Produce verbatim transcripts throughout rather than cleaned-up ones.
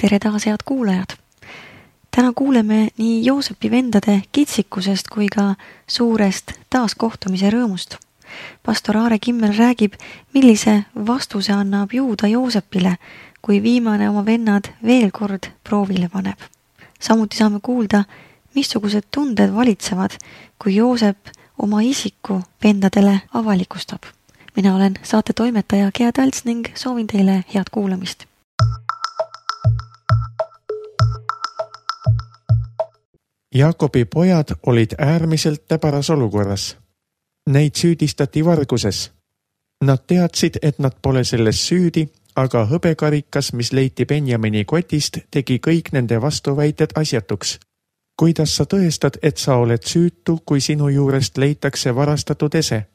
Tere taas, head kuulajad! Täna kuuleme nii Joosepi vendade kitsikusest kui ka suurest taaskohtumise rõõmust. Pastor Aare Kimmel räägib, millise vastuse annab Juuda Joosepile, kui viimane oma vennad veel kord proovile paneb. Samuti saame kuulda, missugused tunded valitsevad, kui Joosep oma isiku vendadele avalikustab. Mina olen saate toimetaja Gea Talts ning soovin teile head kuulamist. Jaakobi pojad olid äärmiselt täbaras olukorras. Neid süüdistati varguses. Nad teadsid, et nad pole selles süüdi, aga hõbekarikas, mis leiti Benjamini kotist, tegi kõik nende vastuväited asjatuks. Kuidas sa tõestad, et sa oled süütu, kui sinu juurest leitakse varastatud ese?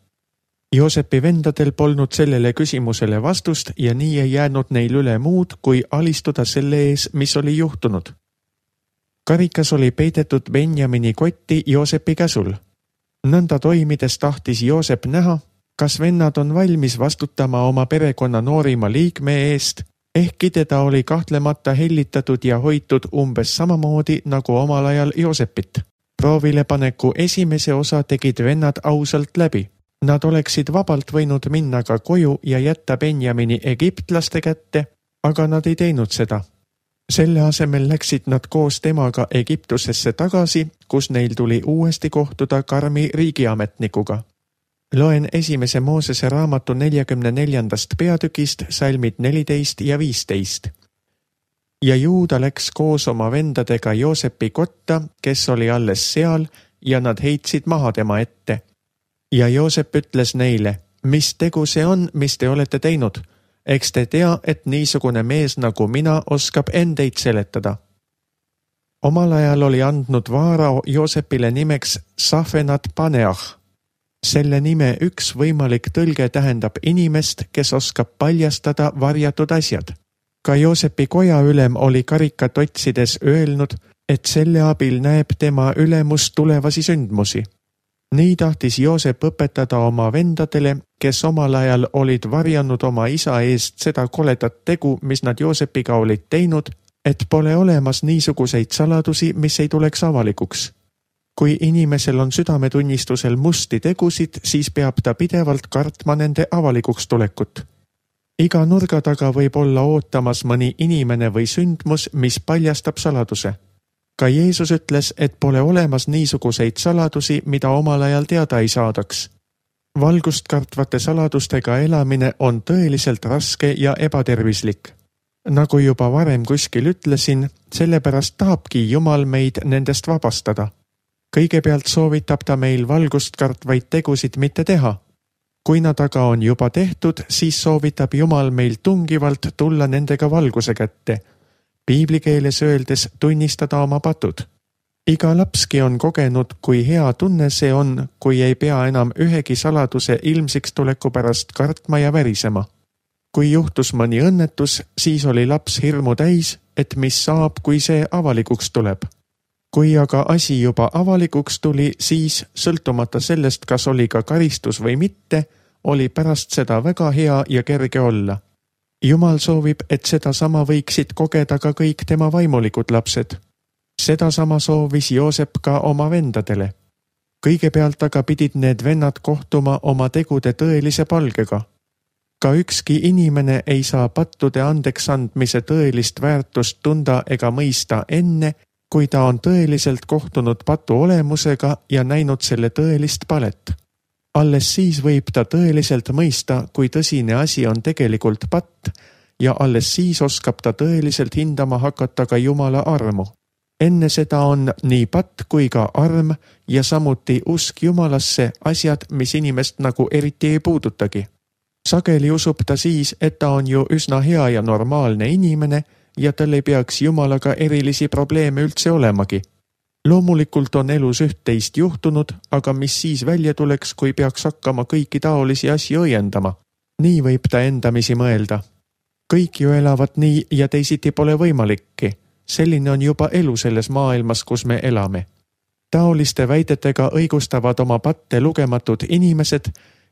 Joosepi vendadel polnud sellele küsimusele vastust ja nii ei jäänud neil üle muud, kui alistuda selle ees, mis oli juhtunud. Karikas oli peidetud Benjamini kotti Joosepi käsul. Nõnda toimides tahtis Joosep näha, kas vennad on valmis vastutama oma perekonna noorima liikme eest, ehkki teda oli kahtlemata hellitatud ja hoitud umbes samamoodi nagu omal ajal Joosepit. Proovilepaneku esimese osa tegid vennad ausalt läbi. Nad oleksid vabalt võinud minna ka koju ja jätta Benjamini egiptlaste kätte, aga nad ei teinud seda. Selle asemel läksid nad koos temaga Egiptusesse tagasi, kus neil tuli uuesti kohtuda karmi riigiametnikuga. Loen esimese Moosese raamatu neljakümne neljandast peatükist salmid neliteist ja viisteist. Ja Juuda läks koos oma vendadega Joosepi kotta, kes oli alles seal, ja nad heitsid maha tema ette. Ja Joosep ütles neile, mis tegu see on, mis te olete teinud? Eks te tea, et niisugune mees nagu mina oskab endeid seletada. Omal ajal oli andnud Vaarao Joosepile nimeks Safenat Paneah. Selle nime üks võimalik tõlge tähendab inimest, kes oskab paljastada varjatud asjad. Ka Joosepi koja ülem oli karikat otsides öelnud, et selle abil näeb tema ülemus tulevasi sündmusi. Nii tahtis Joosep õpetada oma vendadele, kes omal ajal olid varjanud oma isa eest seda koledat tegu, mis nad Joosepiga olid teinud, et pole olemas niisuguseid saladusi, mis ei tuleks avalikuks. Kui inimesel on südametunnistusel musti tegusid, siis peab ta pidevalt kartma nende avalikuks tulekut. Iga nurga taga võib olla ootamas mõni inimene või sündmus, mis paljastab saladuse. Ka Jeesus ütles, et pole olemas niisuguseid saladusi, mida omal ajal teada ei saadaks. Valgust kartvate saladustega elamine on tõeliselt raske ja ebatervislik. Nagu juba varem kuskil ütlesin, sellepärast tahabki Jumal meid nendest vabastada. Kõigepealt soovitab ta meil valgust kartvaid tegusid mitte teha. Kui nad aga on juba tehtud, siis soovitab Jumal meil tungivalt tulla nendega valguse kätte. Piiblikeeles öeldes tunnistada oma patud. Iga lapski on kogenud, kui hea tunne see on, kui ei pea enam ühegi saladuse ilmsiks tuleku pärast kartma ja värisema. Kui juhtus mõni õnnetus, siis oli laps hirmu täis, et mis saab, kui see avalikuks tuleb. Kui aga asi juba avalikuks tuli, siis, sõltumata sellest, kas oli ka karistus või mitte, oli pärast seda väga hea ja kerge olla. Jumal soovib, et seda sama võiksid kogeda ka kõik tema vaimulikud lapsed. Seda sama soovis Joosep ka oma vendadele. Kõigepealt aga pidid need vennad kohtuma oma tegude tõelise palgega. Ka ükski inimene ei saa pattude andeks andmise tõelist väärtust tunda ega mõista enne, kui ta on tõeliselt kohtunud patu olemusega ja näinud selle tõelist palet. Alles siis võib ta tõeliselt mõista, kui tõsine asi on tegelikult patt ja alles siis oskab ta tõeliselt hindama hakata ka Jumala armu. Enne seda on nii patt kui ka arm ja samuti usk Jumalasse asjad, mis inimest nagu eriti ei puudutagi. Sageli usub ta siis, et ta on ju üsna hea ja normaalne inimene ja tal ei peaks Jumalaga erilisi probleeme üldse olemagi. Loomulikult on elus üht-teist juhtunud, aga mis siis välja tuleks, kui peaks hakkama kõiki taolisi asju õiendama? Nii võib ta endamisi mõelda. Kõik ju elavad nii ja teisiti pole võimalikki. Selline on juba elu selles maailmas, kus me elame. Taoliste väidetega õigustavad oma patte lugematud inimesed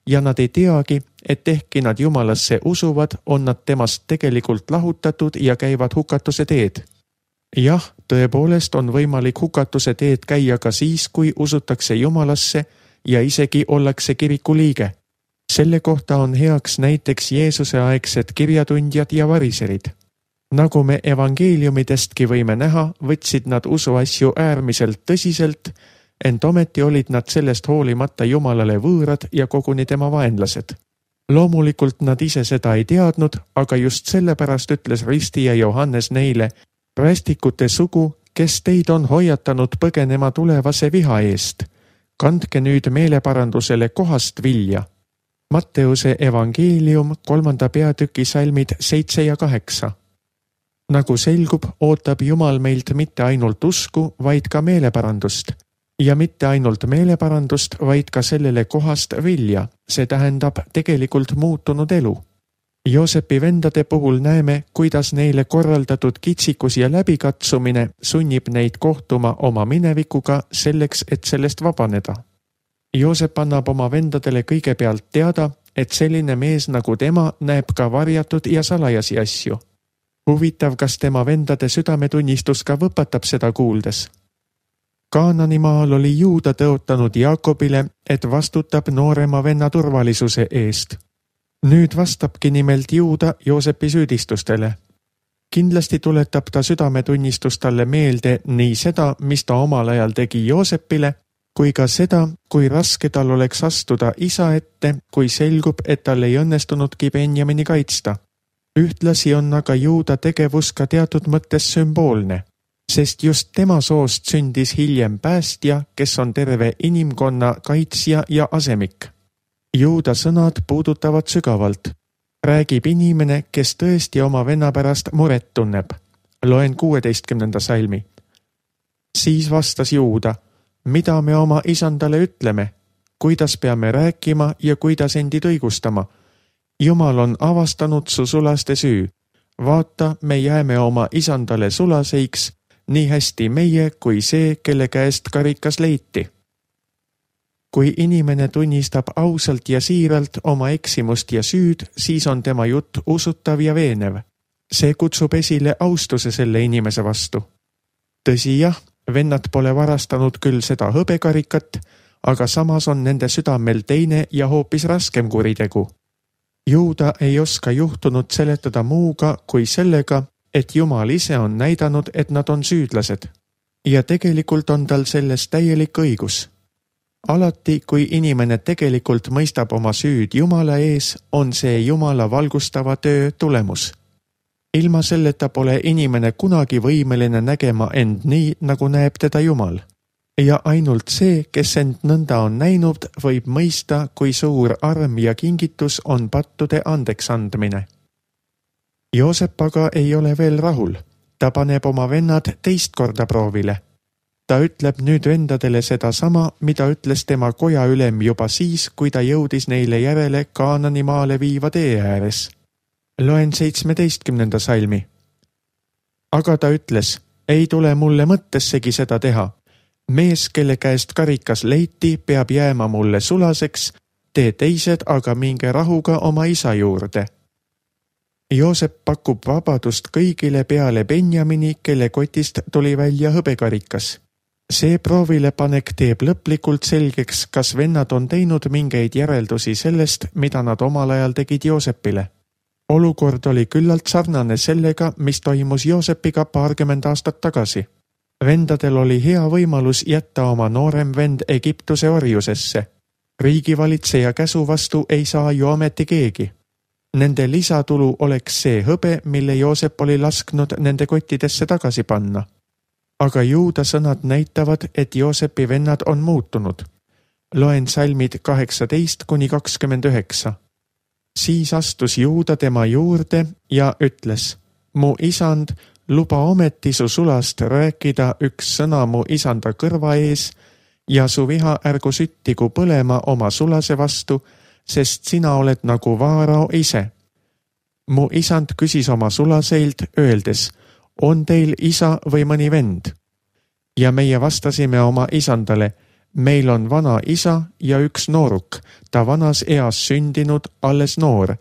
ja nad ei teagi, et ehkki nad Jumalasse usuvad, on nad temast tegelikult lahutatud ja käivad hukatuse teed. Jah, tõepoolest on võimalik hukatuse teed käia ka siis, kui usutakse Jumalasse ja isegi ollakse kiriku liige. Selle kohta on heaks näiteks Jeesuse aegsed kirjatundjad ja variserid. Nagu me evangeeliumidestki võime näha, võtsid nad usuasju äärmiselt tõsiselt, ent ometi olid nad sellest hoolimata Jumalale võõrad ja koguni tema vaenlased. Loomulikult nad ise seda ei teadnud, aga just sellepärast ütles ristija Johannes neile: "Rästikute sugu, kes teid on hoiatanud põgenema tulevase viha eest, kandke nüüd meeleparandusele kohast vilja." Matteuse evangeelium kolmanda peatüki salmid seitse ja kaheksa. Nagu selgub, ootab Jumal meilt mitte ainult usku, vaid ka meeleparandust. Ja mitte ainult meeleparandust, vaid ka sellele kohast vilja, see tähendab tegelikult muutunud elu. Joosepi vendade puhul näeme, kuidas neile korraldatud kitsikus ja läbikatsumine sunnib neid kohtuma oma minevikuga selleks, et sellest vabaneda. Joosep annab oma vendadele kõigepealt teada, et selline mees nagu tema näeb ka varjatud ja salajasi asju. Huvitav, kas tema vendade südametunnistus ka võpatab seda kuuldes. Kaananimaal oli Juuda tõotanud Jaakobile, et vastutab noorema venna turvalisuse eest. Nüüd vastabki nimelt Juuda Joosepi süüdistustele. Kindlasti tuletab ta südametunnistus talle meelde nii seda, mis ta omal ajal tegi Joosepile, kui ka seda, kui raske tal oleks astuda isa ette, kui selgub, et tal ei õnnestunudki Benjamini kaitsta. Ühtlasi on aga Juuda tegevus ka teatud mõttes sümboolne, sest just tema soost sündis hiljem päästja, kes on terve inimkonna kaitsja ja asemik. Juuda sõnad puudutavad sügavalt. Räägib inimene, kes tõesti oma venna pärast muret tunneb. Loen kuueteistkümnenda salmi. Siis vastas Juuda: "Mida me oma isandale ütleme? Kuidas peame rääkima ja kuidas endid õigustama? Jumal on avastanud su sulaste süü. Vaata, me jääme oma isandale sulaseiks, nii hästi meie kui see, kelle käest karikas leiti." Kui inimene tunnistab ausalt ja siiralt oma eksimust ja süüd, siis on tema jutt usutav ja veenev. See kutsub esile austuse selle inimese vastu. Tõsi jah, vennad pole varastanud küll seda hõbekarikat, aga samas on nende südamel teine ja hoopis raskem kuritegu. Juuda ei oska juhtunut seletada muuga kui sellega, et Jumal ise on näidanud, et nad on süüdlased. Ja tegelikult on tal selles täielik õigus. Alati, kui inimene tegelikult mõistab oma süüd Jumala ees, on see Jumala valgustava töö tulemus. Ilma selleta pole inimene kunagi võimeline nägema end nii, nagu näeb teda Jumal. Ja ainult see, kes end nõnda on näinud, võib mõista, kui suur arm ja kingitus on pattude andeks andmine. Joosep aga ei ole veel rahul. Ta paneb oma vennad teist korda proovile. Ta ütleb nüüd vendadele seda sama, mida ütles tema koja ülem juba siis, kui ta jõudis neile järele Kaananimaale viiva tee ääres. Loen seitsmeteistkümnenda salmi. Aga ta ütles: "Ei tule mulle mõttessegi seda teha. Mees, kelle käest karikas leiti, peab jääma mulle sulaseks, te teised aga minge rahuga oma isa juurde." Joosep pakub vabadust kõigile peale Benjamini, kelle kotist tuli välja hõbekarikas. See proovilepanek teeb lõplikult selgeks, kas vennad on teinud mingeid järeldusi sellest, mida nad omal ajal tegid Joosepile. Olukord oli küllalt sarnane sellega, mis toimus Joosepiga paarkümmend aastat tagasi. Vendadel oli hea võimalus jätta oma noorem vend Egiptuse orjusesse. Riigivalitseja käsu vastu ei saa ju ameti keegi. Nende lisatulu oleks see hõbe, mille Joosep oli lasknud nende kottidesse tagasi panna. Aga Juuda sõnad näitavad, et Joosepi vennad on muutunud. Loen salmid kaheksateist kuni kakskümmend üheksa. Siis astus Juuda tema juurde ja ütles: "Mu isand, luba ometi su sulast rääkida üks sõna mu isanda kõrva ees ja su viha ärgu süttigu põlema oma sulase vastu, sest sina oled nagu Vaarao ise." Mu isand küsis oma sulaseilt, öeldes: "On teil isa või mõni vend?" Ja meie vastasime oma isandale: meil on vana isa ja üks nooruk, ta vanas eas sündinud, alles noor,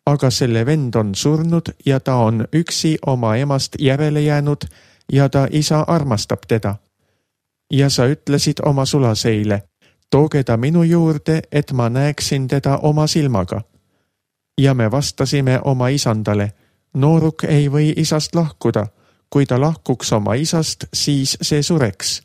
aga selle vend on surnud ja ta on üksi oma emast järele jäänud ja ta isa armastab teda. Ja sa ütlesid oma sulaseile, tooge ta minu juurde, et ma näeksin teda oma silmaga. Ja me vastasime oma isandale, nooruk ei või isast lahkuda, kui ta lahkuks oma isast, siis see sureks.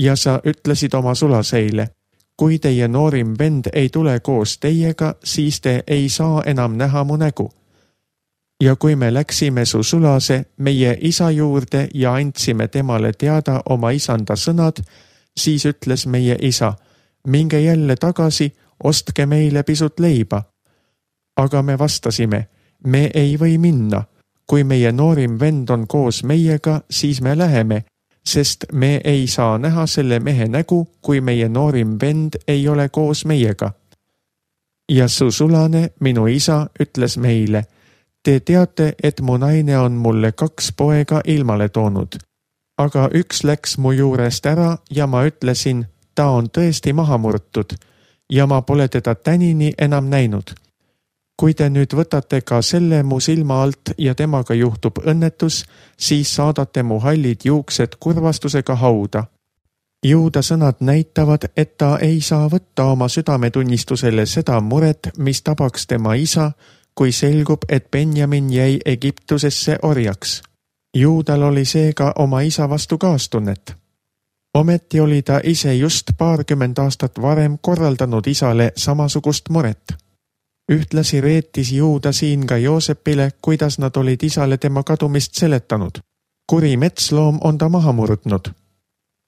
Ja sa ütlesid oma sulaseile, kui teie noorim vend ei tule koos teiega, siis te ei saa enam näha mu nägu. Ja kui me läksime su sulase meie isa juurde ja andsime temale teada oma isanda sõnad, siis ütles meie isa, minge jälle tagasi, ostke meile pisut leiba. Aga me vastasime, me ei või minna. Kui meie noorim vend on koos meiega, siis me läheme, sest me ei saa näha selle mehe nägu, kui meie noorim vend ei ole koos meiega. Ja su sulane, minu isa, ütles meile, te teate, et mu naine on mulle kaks poega ilmale toonud. Aga üks läks mu juurest ära ja ma ütlesin, ta on tõesti maha murtud ja ma pole teda tänini enam näinud. Kui te nüüd võtate ka selle mu silma alt ja temaga juhtub õnnetus, siis saadate mu hallid juuksed kurvastusega hauda. Juuda sõnad näitavad, et ta ei saa võtta oma südametunnistusele seda muret, mis tabaks tema isa, kui selgub, et Benjamin jäi Egiptusesse orjaks. Juudal oli seega oma isa vastu kaastunnet. Ometi oli ta ise just paarkümmend aastat varem korraldanud isale samasugust muret. Ühtlasi reetis Juuda siin ka Joosepile, kuidas nad olid isale tema kadumist seletanud. Kuri metsloom on ta maha murdnud.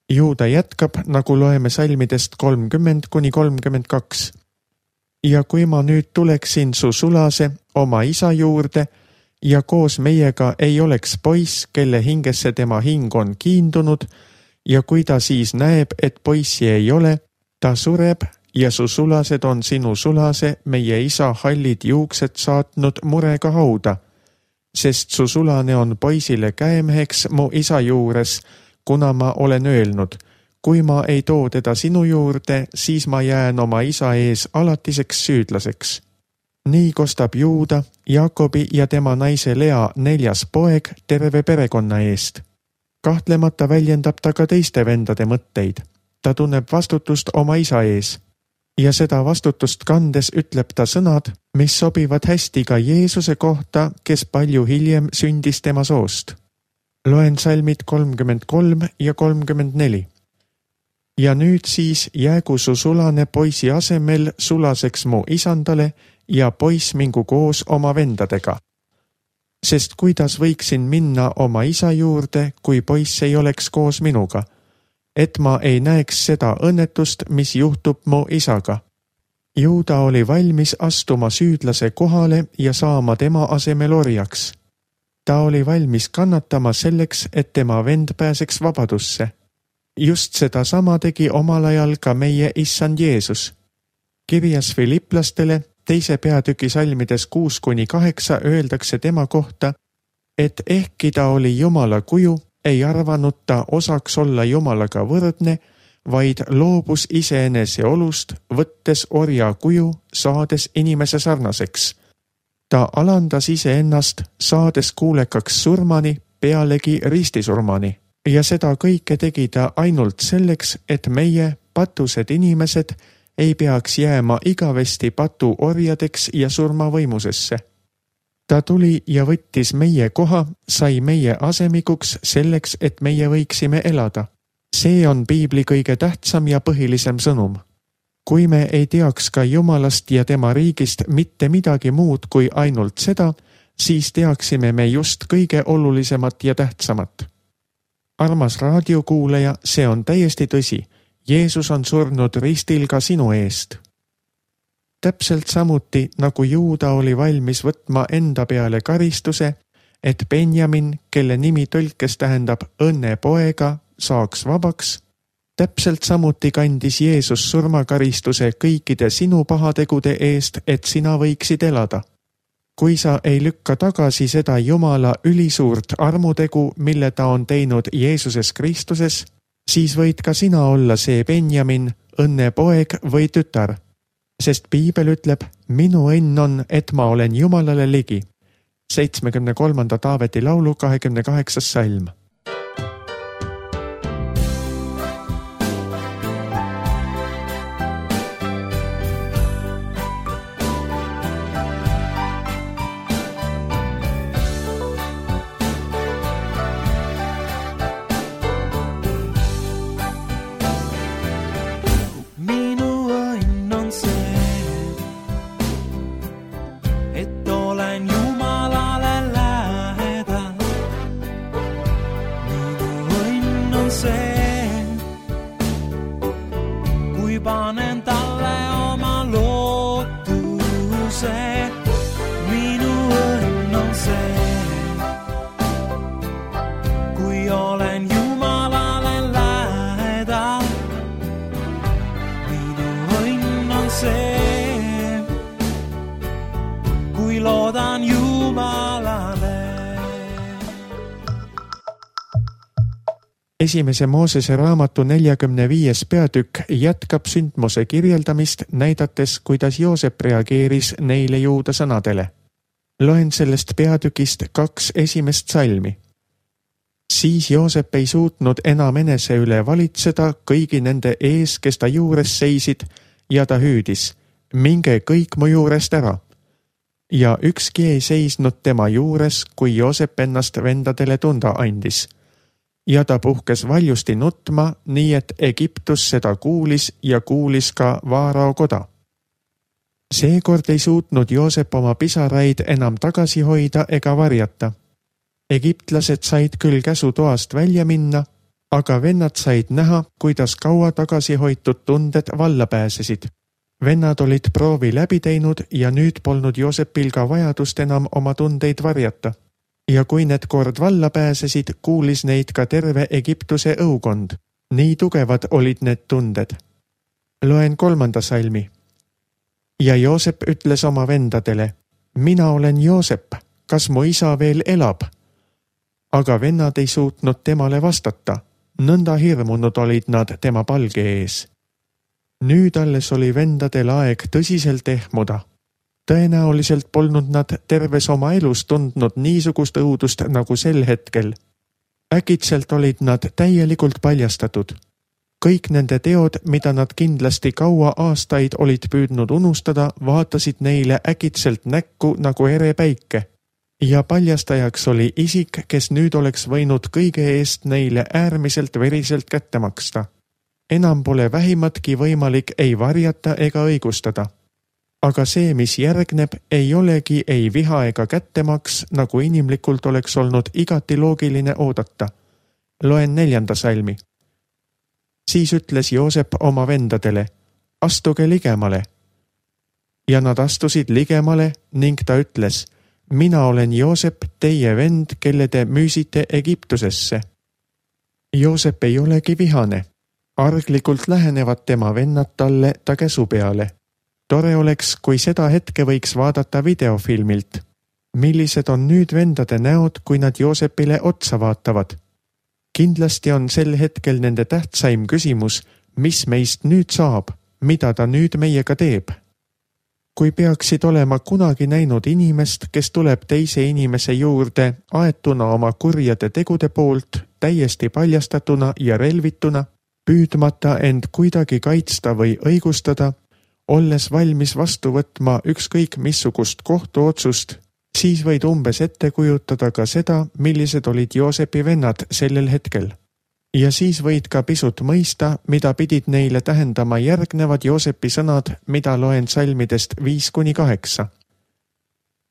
Juuda jätkab, nagu loeme salmidest kolmkümmend kuni kolmkümmend kaks. Ja kui ma nüüd tuleksin su sulase oma isa juurde ja koos meiega ei oleks poiss, kelle hingesse tema hing on kiindunud, ja kui ta siis näeb, et poissi ei ole, ta sureb ja su sulased on sinu sulase, meie isa hallid juuksed saatnud murega hauda, sest su sulane on poisile käemeheks mu isa juures, kuna ma olen öelnud, kui ma ei too teda sinu juurde, siis ma jään oma isa ees alatiseks süüdlaseks. Nii kostab Juuda, Jaakobi ja tema naise Lea neljas poeg terve perekonna eest. Kahtlemata väljendab ta ka teiste vendade mõtteid. Ta tunneb vastutust oma isa ees. Ja seda vastutust kandes ütleb ta sõnad, mis sobivad hästi ka Jeesuse kohta, kes palju hiljem sündis tema soost. Loen salmid kolmkümmend kolm ja kolmkümmend neli. Ja nüüd siis jäägu su sulane poisi asemel sulaseks mu isandale ja poiss mingu koos oma vendadega. Sest kuidas võiksin minna oma isa juurde, kui poiss ei oleks koos minuga, et ma ei näeks seda õnnetust, mis juhtub mu isaga. Juuda oli valmis astuma süüdlase kohale ja saama tema asemel orjaks. Ta oli valmis kannatama selleks, et tema vend pääseks vabadusse. Just seda sama tegi omal ajal ka meie issand Jeesus. Kirjas Filiplastele teise peatüki salmides kuus kuni kaheksa öeldakse tema kohta, et ehkki ta oli Jumala kuju, ei arvanud ta osaks olla Jumalaga võrdne, vaid loobus iseenese olust, võttes orja kuju, saades inimese sarnaseks. Ta alandas iseennast, saades kuulekaks surmani, pealegi ristisurmani. Ja seda kõike tegi ta ainult selleks, et meie, patused inimesed, ei peaks jääma igavesti patu orjadeks ja surmavõimusesse. Ta tuli ja võttis meie koha, sai meie asemikuks selleks, et meie võiksime elada. See on Piibli kõige tähtsam ja põhilisem sõnum. Kui me ei teaks ka Jumalast ja tema riigist mitte midagi muud kui ainult seda, siis teaksime me just kõige olulisemat ja tähtsamat. Armas raadiokuulaja, see on täiesti tõsi. Jeesus on surnud ristil ka sinu eest. Täpselt samuti, nagu Juuda oli valmis võtma enda peale karistuse, et Benjamin, kelle nimi tõlkes tähendab õnne poega, saaks vabaks, täpselt samuti kandis Jeesus surmakaristuse kõikide sinu pahategude eest, et sina võiksid elada. Kui sa ei lükka tagasi seda Jumala ülisuurt armutegu, mille ta on teinud Jeesuses Kristuses, siis võid ka sina olla see Benjamin, õnne poeg või tütar, sest piibel ütleb, minu õnn on, et ma olen Jumalale ligi. seitsmekümne kolmanda Taaveti laulu kahekümne kaheksas salm. Panen talle oma lootuse, minu õnn on see, kui olen Jumalale lähedal. Minu õnn on see, kui loodan Jumalale. Esimese Moosese raamatu neljakümne viies peatükk jätkab sündmuse kirjeldamist, näidates, kuidas Joosep reageeris neile Juuda sõnadele. Loen sellest peatükist kaks esimest salmi. Siis Joosep ei suutnud enam enese üle valitseda kõigi nende ees, kes ta juures seisid, ja ta hüüdis, minge kõik mu juurest ära. Ja ükski ei seisnud tema juures, kui Joosep ennast vendadele tunda andis. Ja ta puhkes valjusti nutma, nii et Egiptus seda kuulis ja kuulis ka Vaarao koda. Seekord ei suutnud Joosep oma pisaraid enam tagasi hoida ega varjata. Egiptlased said küll käsu toast välja minna, aga vennad said näha, kuidas kaua tagasi hoitud tunded valla pääsesid. Vennad olid proovi läbi teinud ja nüüd polnud Joosepil ka vajadust enam oma tundeid varjata. Ja kui need kord valla pääsesid, kuulis neid ka terve Egiptuse õukond. Nii tugevad olid need tunded. Loen kolmanda salmi. Ja Joosep ütles oma vendadele, mina olen Joosep, kas mu isa veel elab? Aga vennad ei suutnud temale vastata. Nõnda hirmunud olid nad tema palge ees. Nüüd alles oli vendadel aeg tõsiselt ehmuda. Tõenäoliselt polnud nad terves oma elus tundnud niisugust õudust nagu sel hetkel. Äkitselt olid nad täielikult paljastatud. Kõik nende teod, mida nad kindlasti kaua aastaid olid püüdnud unustada, vaatasid neile äkitselt näkku nagu ere päike. Ja paljastajaks oli isik, kes nüüd oleks võinud kõige eest neile äärmiselt veriselt kätte maksta. Enam pole vähimatki võimalik ei varjata ega õigustada. Aga see, mis järgneb, ei olegi ei viha ega kättemaks, nagu inimlikult oleks olnud igati loogiline oodata. Loen neljanda salmi. Siis ütles Joosep oma vendadele, astuge ligemale. Ja nad astusid ligemale ning ta ütles, mina olen Joosep, teie vend, kelle te müüsite Egiptusesse. Joosep ei olegi vihane. Arglikult lähenevad tema vennad talle ta käsu peale. Tore oleks, kui seda hetke võiks vaadata videofilmilt. Millised on nüüd vendade näod, kui nad Joosepile otsa vaatavad? Kindlasti on sel hetkel nende tähtsaim küsimus, mis meist nüüd saab, mida ta nüüd meiega teeb. Kui peaksid olema kunagi näinud inimest, kes tuleb teise inimese juurde aetuna oma kurjade tegude poolt, täiesti paljastatuna ja relvituna, püüdmata end kuidagi kaitsta või õigustada, olles valmis vastu võtma ükskõik missugust kohtuotsust, siis võid umbes ette kujutada ka seda, millised olid Joosepi vennad sellel hetkel. Ja siis võid ka pisut mõista, mida pidid neile tähendama järgnevad Joosepi sõnad, mida loen salmidest viis kuni kaheksa.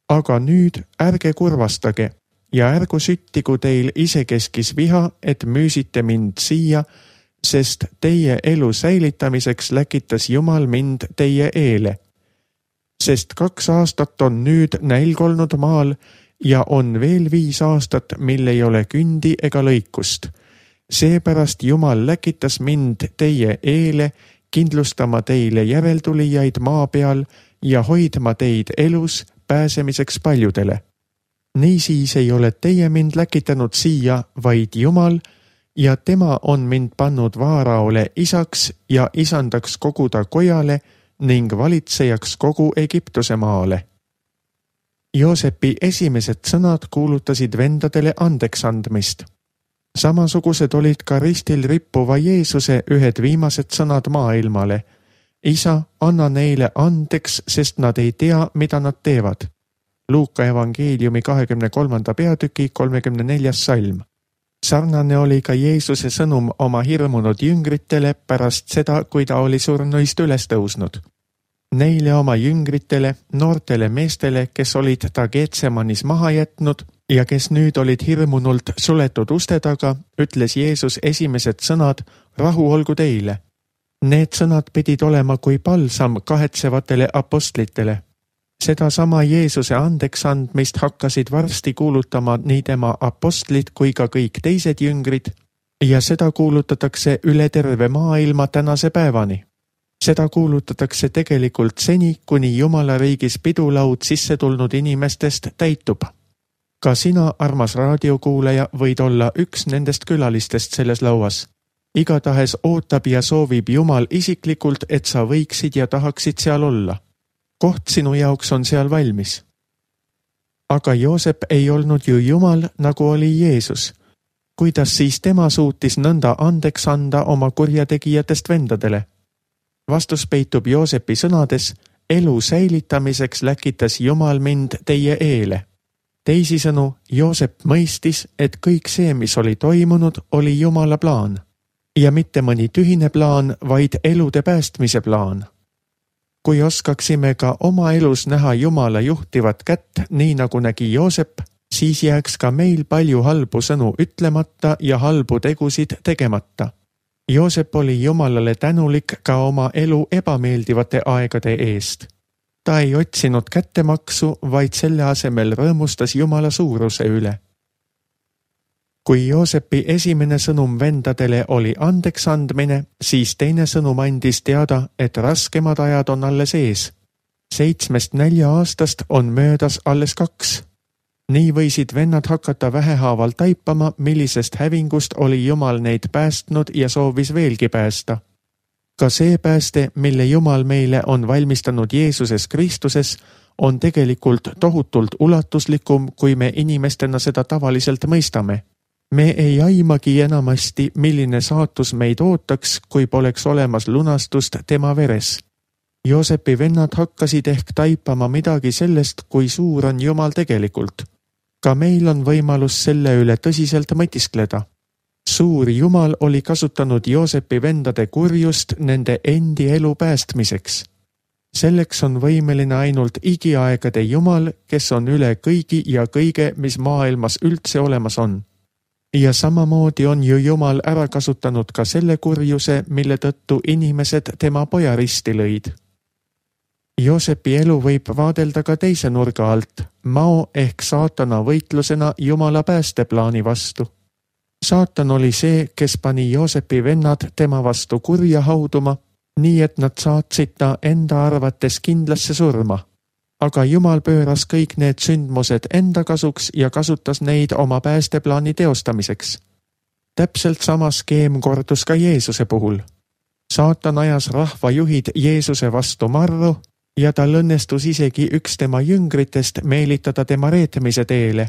Aga nüüd ärge kurvastage ja ärgu süttigu teil isekeskis viha, et müüsite mind siia, sest teie elu säilitamiseks läkitas Jumal mind teie eele. Sest kaks aastat on nüüd nälg olnud maal ja on veel viis aastat, mil ei ole kündi ega lõikust. Seepärast Jumal läkitas mind teie eele, kindlustama teile järeltulijaid maa peal ja hoidma teid elus pääsemiseks paljudele. Niisiis ei ole teie mind läkitanud siia, vaid Jumal, ja tema on mind pannud Vaaraole isaks ja isandaks kogu ta kojale ning valitsejaks kogu Egiptuse maale. Joosepi esimesed sõnad kuulutasid vendadele andeks andmist. Samasugused olid ka ristil rippuva Jeesuse ühed viimased sõnad maailmale. Isa, anna neile andeks, sest nad ei tea, mida nad teevad. Luuka evangeeliumi kahekümne kolmanda peatüki kolmekümne neljas salm. Sarnane oli ka Jeesuse sõnum oma hirmunud jüngritele pärast seda, kui ta oli surnuist üles tõusnud. Neile oma jüngritele, noortele meestele, kes olid ta Getsemanis maha jätnud ja kes nüüd olid hirmunult suletud uste taga, ütles Jeesus esimesed sõnad, rahu olgu teile. Need sõnad pidid olema kui palsam kahetsevatele apostlitele. Sedasama Jeesuse andeks andmist hakkasid varsti kuulutama nii tema apostlid kui ka kõik teised jüngrid ja seda kuulutatakse üle terve maailma tänase päevani. Seda kuulutatakse tegelikult seni, kuni Jumala riigis pidulaud sisse tulnud inimestest täitub. Ka sina, armas raadiokuulaja, võid olla üks nendest külalistest selles lauas. Igatahes ootab ja soovib Jumal isiklikult, et sa võiksid ja tahaksid seal olla. Koht sinu jaoks on seal valmis. Aga Joosep ei olnud ju Jumal, nagu oli Jeesus. Kuidas siis tema suutis nõnda andeks anda oma kurjategijatest vendadele? Vastus peitub Joosepi sõnades, elu säilitamiseks läkitas Jumal mind teie eele. Teisisõnu, Joosep mõistis, et kõik see, mis oli toimunud, oli Jumala plaan. Ja mitte mõni tühine plaan, vaid elude päästmise plaan. Kui oskaksime ka oma elus näha Jumala juhtivat kätt, nii nagu nägi Joosep, siis jääks ka meil palju halbu sõnu ütlemata ja halbu tegusid tegemata. Joosep oli Jumalale tänulik ka oma elu ebameeldivate aegade eest. Ta ei otsinud kättemaksu, vaid selle asemel rõõmustas Jumala suuruse üle. Kui Joosepi esimene sõnum vendadele oli andeks andmine, siis teine sõnum andis teada, et raskemad ajad on alles ees. Seitsmest nälja aastast on möödas alles kaks. Nii võisid vennad hakata vähehaaval taipama, millisest hävingust oli Jumal neid päästnud ja soovis veelgi päästa. Ka see pääste, mille Jumal meile on valmistanud Jeesuses Kristuses, on tegelikult tohutult ulatuslikum, kui me inimestena seda tavaliselt mõistame. Me ei aimagi enamasti, milline saatus meid ootaks, kui poleks olemas lunastust tema veres. Joosepi vennad hakkasid ehk taipama midagi sellest, kui suur on Jumal tegelikult. Ka meil on võimalus selle üle tõsiselt mõtiskleda. Suur Jumal oli kasutanud Joosepi vendade kurjust nende endi elu päästmiseks. Selleks on võimeline ainult igiaegade Jumal, kes on üle kõigi ja kõige, mis maailmas üldse olemas on. Ja samamoodi on ju Jumal ära kasutanud ka selle kurjuse, mille tõttu inimesed tema poja risti lõid. Joosepi elu võib vaadelda ka teise nurga alt, mao ehk saatana võitlusena Jumala päästeplaani vastu. Saatan oli see, kes pani Joosepi vennad tema vastu kurja hauduma, nii et nad saatsid ta enda arvates kindlasse surma. Aga Jumal pööras kõik need sündmused enda kasuks ja kasutas neid oma päästeplaani teostamiseks. Täpselt sama skeem kordus ka Jeesuse puhul. Saatan ajas rahva juhid Jeesuse vastu marru ja tal õnnestus isegi üks tema jüngritest meelitada tema reetmise teele.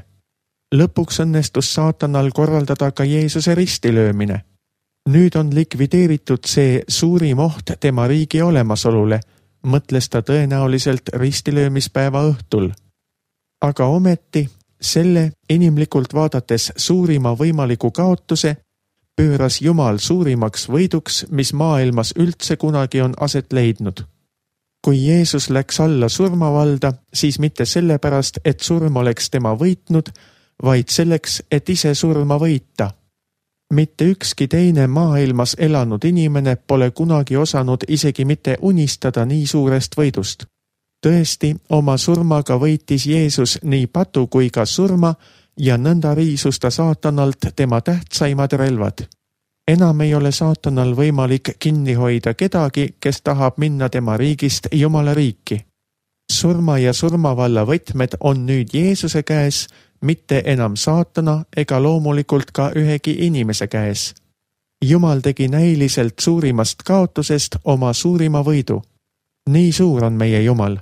Lõpuks õnnestus saatanal korraldada ka Jeesuse ristilöömine. Nüüd on likvideeritud see suurim oht tema riigi olemasolule, mõtles ta tõenäoliselt ristilöömispäeva õhtul. Aga ometi selle inimlikult vaadates suurima võimaliku kaotuse pööras Jumal suurimaks võiduks, mis maailmas üldse kunagi on aset leidnud. Kui Jeesus läks alla surmavalda, siis mitte sellepärast, et surm oleks tema võitnud, vaid selleks, et ise surma võita. Mitte ükski teine maailmas elanud inimene pole kunagi osanud isegi mitte unistada nii suurest võidust. Tõesti, oma surmaga võitis Jeesus nii patu kui ka surma ja nõnda riisus ta saatanalt tema tähtsaimad relvad. Enam ei ole saatanal võimalik kinni hoida kedagi, kes tahab minna tema riigist Jumala riiki. Surma ja surmavalla võtmed on nüüd Jeesuse käes, mitte enam saatana ega loomulikult ka ühegi inimese käes. Jumal tegi näiliselt suurimast kaotusest oma suurima võidu. Nii suur on meie Jumal.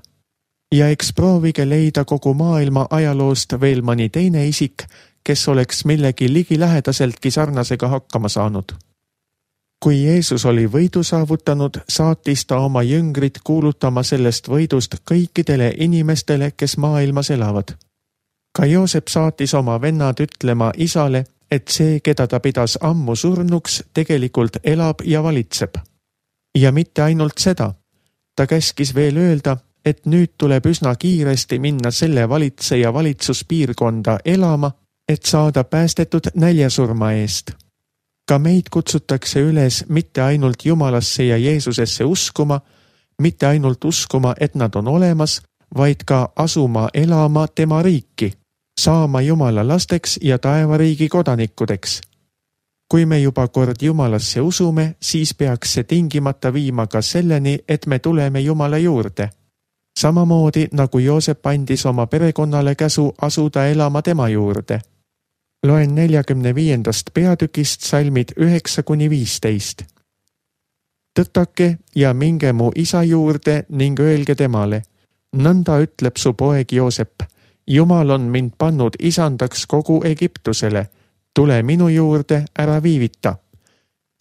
Ja eks proovige leida kogu maailma ajaloost veel mõni teine isik, kes oleks millegi ligilähedaseltki sarnasega hakkama saanud. Kui Jeesus oli võidu saavutanud, saatis ta oma jüngrid kuulutama sellest võidust kõikidele inimestele, kes maailmas elavad. Ka Joosep saatis oma vennad ütlema isale, et see, keda ta pidas ammu surnuks, tegelikult elab ja valitseb. Ja mitte ainult seda. Ta käskis veel öelda, et nüüd tuleb üsna kiiresti minna selle valitseja valitsuspiirkonda elama, et saada päästetud näljasurma eest. Ka meid kutsutakse üles mitte ainult Jumalasse ja Jeesusesse uskuma, mitte ainult uskuma, et nad on olemas, vaid ka asuma elama tema riiki, saama Jumala lasteks ja taevariigi kodanikudeks. Kui me juba kord Jumalasse usume, siis peaks see tingimata viima ka selleni, et me tuleme Jumala juurde. Samamoodi nagu Joosep andis oma perekonnale käsu asuda elama tema juurde. Loen neljakümne viiendast peatükist salmid üheksa kuni viisteist. Tõtake ja minge mu isa juurde ning öelge temale. Nõnda ütleb su poeg Joosep. Jumal on mind pannud isandaks kogu Egiptusele. Tule minu juurde, ära viivita.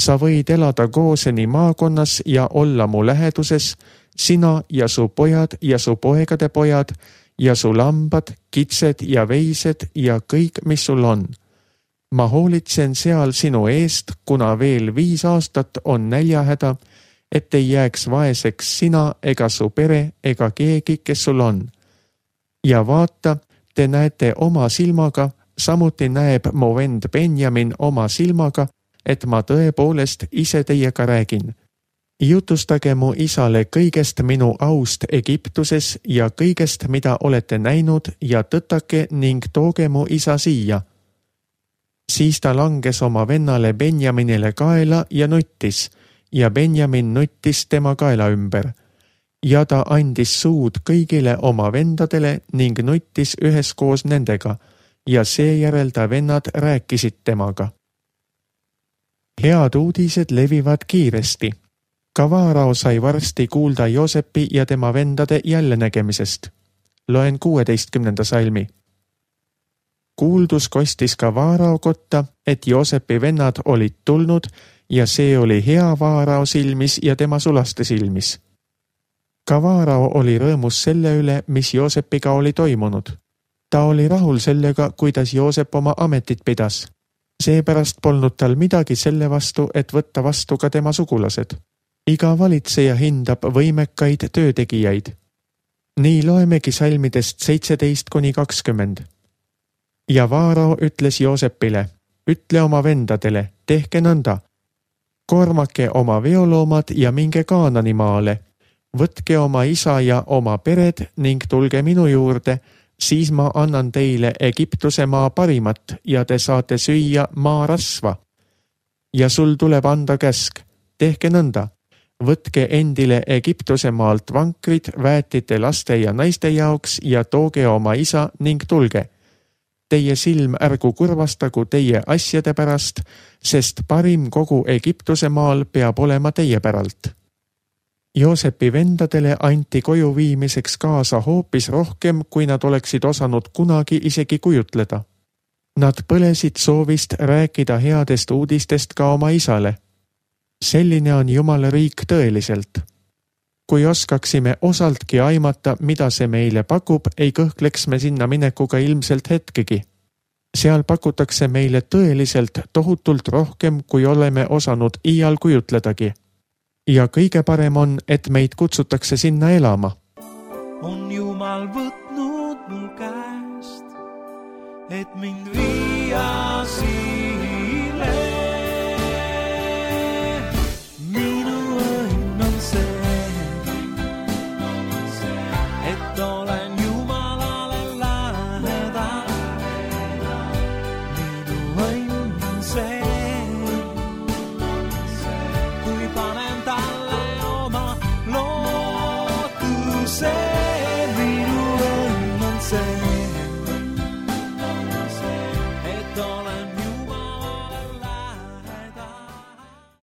Sa võid elada Gooseni maakonnas ja olla mu läheduses, sina ja su pojad ja su poegade pojad ja su lambad, kitsed ja veised ja kõik, mis sul on. Ma hoolitsen seal sinu eest, kuna veel viis aastat on näljahäda, et ei jääks vaeseks sina ega su pere ega keegi, kes sul on. Ja vaata, te näete oma silmaga, samuti näeb mu vend Benjamin oma silmaga, et ma tõepoolest ise teiega räägin. Jutustage mu isale kõigest minu aust Egiptuses ja kõigest, mida olete näinud, ja tõtake ning tooge mu isa siia. Siis ta langes oma vennale Benjaminile kaela ja nuttis, ja Benjamin nuttis tema kaela ümber. Ja ta andis suud kõigile oma vendadele ning nuttis üheskoos nendega, ja seejärel ta vennad rääkisid temaga. Head uudised levivad kiiresti. Ka Vaarao sai varsti kuulda Joosepi ja tema vendade jällenägemisest. Loen kuueteistkümnenda salmi. Kuuldus kostis ka Vaarao kotta, et Joosepi vennad olid tulnud ja see oli hea Vaarao silmis ja tema sulaste silmis. Ka Vaarao oli rõõmus selle üle, mis Joosepiga oli toimunud. Ta oli rahul sellega, kuidas Joosep oma ametit pidas. Seepärast polnud tal midagi selle vastu, et võtta vastu ka tema sugulased. Iga valitseja hindab võimekaid töötegijaid. Nii loemegi salmidest seitseteist kuni kakskümmend. Ja Vaarao ütles Joosepile, ütle oma vendadele, tehke nõnda. Koormake oma veoloomad ja minge Kaanani maale. Võtke oma isa ja oma pered ning tulge minu juurde, siis ma annan teile Egiptuse maa parimat ja te saate süüa maa rasva. Ja sul tuleb anda käsk, tehke nõnda. Võtke endile Egiptuse maalt vankrid, väetite laste ja naiste jaoks ja tooge oma isa ning tulge. Teie silm ärgu kurvastagu teie asjade pärast, sest parim kogu Egiptuse maal peab olema teie päralt. Joosepi vendadele anti koju viimiseks kaasa hoopis rohkem, kui nad oleksid osanud kunagi isegi kujutleda. Nad põlesid soovist rääkida headest uudistest ka oma isale. Selline on Jumala riik tõeliselt. Kui oskaksime osaltki aimata, mida see meile pakub, ei kõhkleks me sinna minekuga ilmselt hetkegi. Seal pakutakse meile tõeliselt tohutult rohkem, kui oleme osanud iial kujutledagi. Ja kõige parem on, et meid kutsutakse sinna elama. On Jumal võtnud mul käest, et mind viia siile. Minu õnn on see, et olen Jumalale lähedal. Minu õnn on see, kui panen talle oma lootuse.